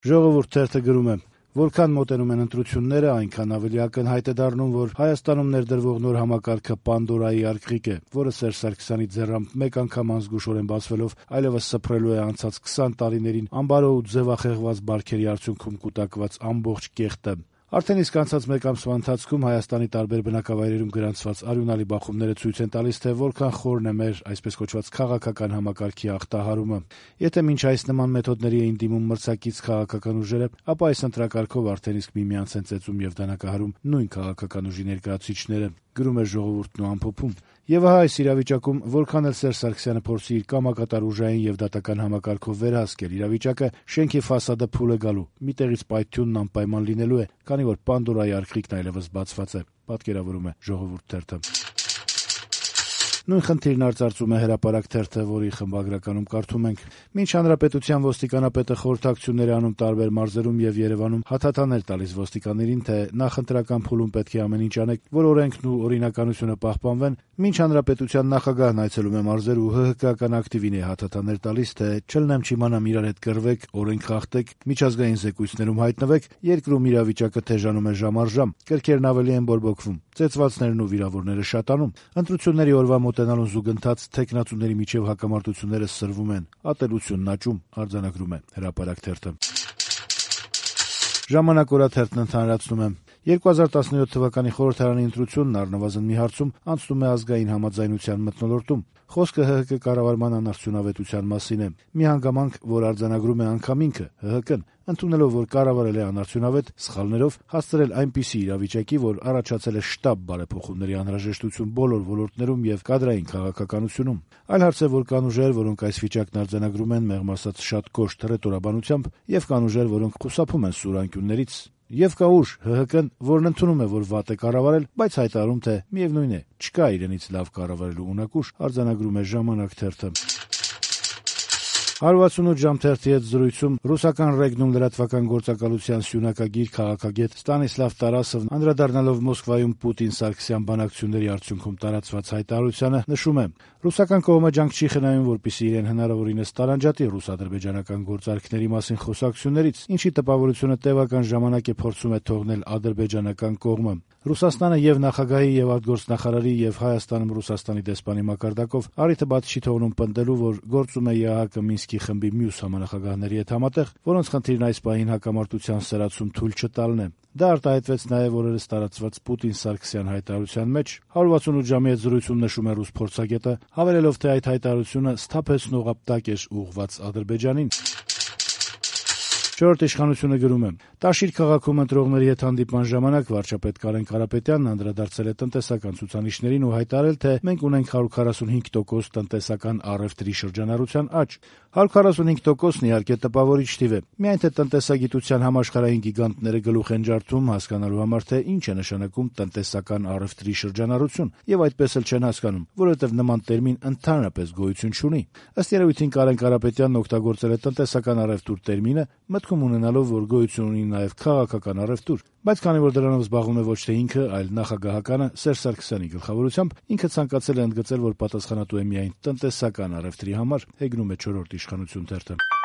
Ժողովուրդ թերթը գրում է. որքան մոտենում են ընտրությունները, այնքան ավելի ակնհայտ է դառնում, որ Հայաստանում ներդրվող նոր համակարգը Պանդորայի արգղիկ է, որը Սերժ Սարգսյանի ձեռամբ մեկ անգամ անզգուշորեն բացվելով այլևս սփռելու է անցած 20 տարիներին ամբարո ու ձևախեղված բարքերի արդյունքում կուտակված ամբողջ կեղտը։ Արդեն իսկ անցած մեկ ամսվա ընթացքում Հայաստանի տարբեր բնակավայրերում գրանցված արյունալի բախումները ցույց են տալիս, թե որքան խորն է մեր այսպես կոչված քաղաքական համակարգի ախտահարումը։ Եթե մինչ այս նման մեթոդների էին դիմում մրցակից քաղաքական ուժերը, ապա այս ընտրակարգով արդեն իսկ միմյանց են ծեծում եւ դանակահարում նույն քաղաքական ուժի ներկայացուցիչները, գրում է Ժողովուրդն ու ամփոփում։ Եվ ահա այս իրավիճակում, որքան էլ Սերժ Սարգսյանը փորձի իր կամակատար ուժային եւ դատական համակարգով վերահսկել իրավիճակը, շենքի ֆասադը փուլ է գալու, մի տեղից պայթյունն անպայման լինելու է, քանի որ Պանդորայի արգղիկն այլևս բացված է, պատկերավորում է Ժողովուրդ թերթը։ Նույն խնդիրն արծարծում է Հրապարակ թերթը, որի խմբագրականում կարդում ենք. մինչ հանրապետության ոստիկանապետը խորհրդակցություններ է անում տարբեր մարզերում եւ Երևանում հաթաթաներ տալիս ոստիկաններին, թե նախընտրական փուլում պետք է ամեն ինչ անեք, որ օրենքն ու օրինականությունը պահպանվեն, մինչ հանրապետության նախագահն այցելում է մարզեր ու ՀՀԿ-ական ակտիվին է հաթաթաներ տալիս, թե չլնեմ չիմանամ իրար հետ կռվեք, օրենք խախտեք, միջազգային զեկույցներում հայտնվեք, երկրում իրավիճակը թեժանում է ժամ առ ժամ, կրքերն ավելի են բորբոքվում, ծեծվածներն ու վիրավորները շատանում, ընտրությունների օրվա մոտենալուն զուգընթաց թեկնածուների միջև հակամարտությունները սրվում են, ատելությունն աճում, արձանագրում է Հրապարակ թերթը։ Ժամանակ օրաթերթն ընդհանրացնում է. 2017 թվականի խորհրդարանի ընտրությունն առնվազն մի հարցում անցնում է ազգային համաձայնության մթնոլորտում։ Խոսքը ՀՀԿ կառավարման անարդյունավետության մասին է։ Մի հանգամանք, որ արձանագրում է անգամ ինքը ՀՀԿ-ն, ընդունելով, որ կառավարել է անարդյունավետ, սխալներով հասցրել այնպիսի իրավիճակի, որ առաջացել է շտապ բարեփոխումների անհրաժեշտություն բոլոր ոլորտներում եւ կադրային քաղաքականությունում։ Այլ հարց է, որ կան ուժեր, որոնք այս վիճակն արձանագրում են մեղմ ասած շատ կոշտ ռետորաբանությամբ, եւ կան ուժեր, որոնք խուսափում են սուր անկյուններից։ Եվ կա ուժ ՀՀԿ-ն, որն ընդունում է, որ վատ է կառավարել, բայց հայտարարում, թե միևնույն է, չկա իրենից լավ կառավարելու ունակուշ, արձանագրում է Ժամանակ թերթը։ 168 ժամ թերթի հետ զրույցում ռուսական ռեգնում լրատվական գործակալության սյունակագիր քաղաքագետ Ստանիսլավ Տարասովն անդրադառնալով Մոսկվայում Պուտին-Սարգսյան բանակցությունների արդյունքում տարածված հայտարարությանը նշում է. ռուսական կողմը ջանք չի խնայում, որպեսզի իրեն հնարավորինս տարանջատի ռուս-ադրբեջանական գործարքների մասին խոսակցություններից, ինչի տպավորությունը տևական ժամանակ է փորձում է թողնել ադրբեջանական կողմը։ Ռուսաստանը եւ նախագահի եւ արտգործնախարարի եւ Հայաստանում Ռուսաստանի դեսպանի մակարդակով առիթը բաց չի թողնում պնդելու, որ գործում է ԵԱՀԿ Մինսկի խմբի մյուս համանախագահների հետ համատեղ, որոնց խնդիրն այս պահին հակամարտության սրացում թույլ չտալն է։ Դա արտահայտվեց նաև օրերս տարածված Պուտին-Սարգսյան հայտարարության մեջ։ 168 ժամի հետ զրույցում նշում է ռուս փորձագետը, հավելելով, թե այդ հայտարարությունը սթափեցնող ապտակ էր ուղղված Ադրբեջանին։ Չորրորդ իշխանությունը գրում է. Տաշիր քաղաքում ընտրողների հետ հանդիպման ժամանակ վարչապետ Կարեն Կարապետյանն անդրադարձել է տնտեսական ցուցանիշներին ու հայտարարել, թե մենք ունենք 145% տնտեսական առևտրի շրջանառության աճ։ 145%-ն իհարկե տպավորիչ թիվ է։ Միայն թե տնտեսագիտության համաշխարհային գիգանտները գլուխ են ջարդում հասկանալու համար, թե ինչ է նշանակում տնտեսական առևտրի շրջանառություն, եւ այդպես էլ չեն հասկանում, որովհետեւ նման տերմին ընդհանրապես գոյություն չունի։ Ըստ երևույթին Կարեն Կարապետյանն օգտագործել է տնտեսական առևտուր տերմինը, մտքում ունենալով, որ գոյություն ունի նաև քաղաքական առևտուր, բայց քանի որ դրանով զբաղվում է ոչ թե ինքը, այլ նախագահականը Սերժ Սարգսյանի գլխավորությամբ, ինքը ցանկացել է ընդգծել, որ պատասխանատու է միայն տնտեսական առևտրի համար, հեգնում է Չորրորդ իշխանություն թերթը։